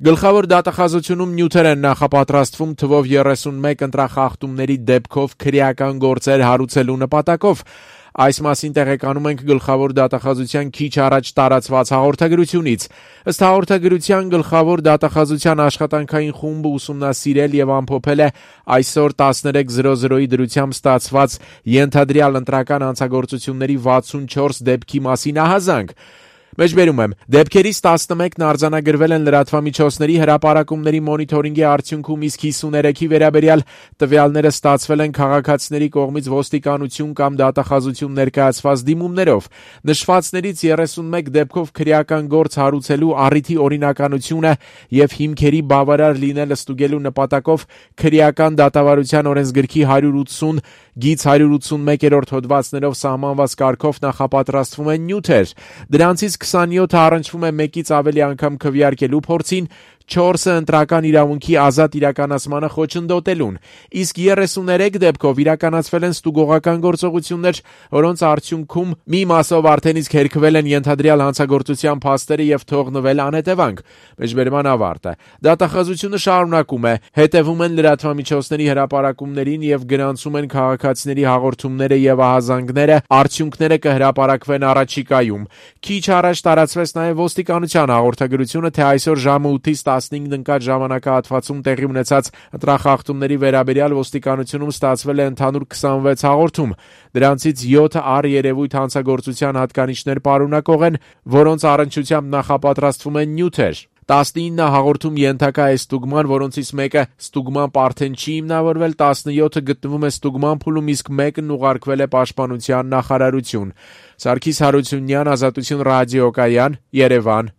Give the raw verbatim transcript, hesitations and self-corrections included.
Գլխավոր դատախազությունում նյութեր են նախապատրաստվում թվով երեսունմեկ ընտրախախտումների դեպքով քրեական գործեր հարուցելու նպատակով։ Այս մասին տեղեկանում ենք գլխավոր դատախազության քիչ առաջ տարածված հաղորդագրությունից։ Ըստ հաղորդագրության գլխավոր դատախազության աշխատանքային խումբը ուսումնասիրել եւ ամփոփել է այսօր տասներեք զրո զրոյի դրությամբ ստացված ենթադրյալ ընտրական հանցագործությունների վաթսունչորս դեպքի մասին ահազանգ։ Մեջբերում եմ, դեպքերից տասնմեկն արձանագրվել են լրատվամիջոցների հրապարակումների մոնիթորինգի արդյունքում, իսկ հիսուներեքի վերաբերյալ տվյալները ստացվել են քաղաքացիների կողմից ոստիկանություն կամ դատախազություն ներկայացված դիմումներով։ Նշվածներից երեսունմեկ դեպքով քրեական գործ հարուցելու առիթի օրինականությունը եւ հիմքերի բավարար լինելը ստուգելու նպատակով քրեական դատավարության օրենսգրքի հարյուր ութսուն գիծ հարյուր ութսունմեկերորդ հոդվածներով սահմանված կարգով նախապատրաստվում են նյութեր։ Դրանցից քսանյոթը առնչվում է մեկից ավելի անգամ քվեարկելու փորձին, չորսը ընտրական իրավունքի ազատ իրականացմանը խոչընդոտելուն, իսկ երեսուներեք դեպքով իրականացվել են ստուգողական գործողություններ, որոնց արդյունքում մի մասով արդեն իսկ հերքվել են ենթադրյալ հանցագործության փաստերը եւ թողնվել անհետևանք։ Մեջբերման ավարտը։ Դատախազությունը շարունակում է, հետևում են լրատվամիջոցների հրապարակումներին եւ գրանցում են քաղաքացիների հաղորդումները եւ ահազանգները, արդյունքները կհրապարակվեն առաջիկայում։ Քիչ առաջ տարածվեց նաեւ ոստիկանության հաղորդագրությունը, թե այսօր ժամը ութից տասնհինգ ընկած ժամանակահատվածում տեղի ունեցած ընտրախախտումների վերաբերյալ ոստիկանությունում ստացվել է ընդհանուր քսանվեց հաղորդում։ Դրանցից յոթը առերևույթ հանցագործության հատկանիշներ պարունակող են, որոնց առնչությամբ նախապատրաստվում են նյութեր։ տասնինը հաղորդում ենթակա է ստուգման, որոնցից մեկը ստուգման արդեն չի հիմնավորվել, տասնյոթը գտնվում է ստուգման փուլում, իսկ մեկն ուղարկվել է պաշտպանության նախարարություն։ Սարգիս Հարությունյան, Ազատություն ռադիոկայան, Երևան։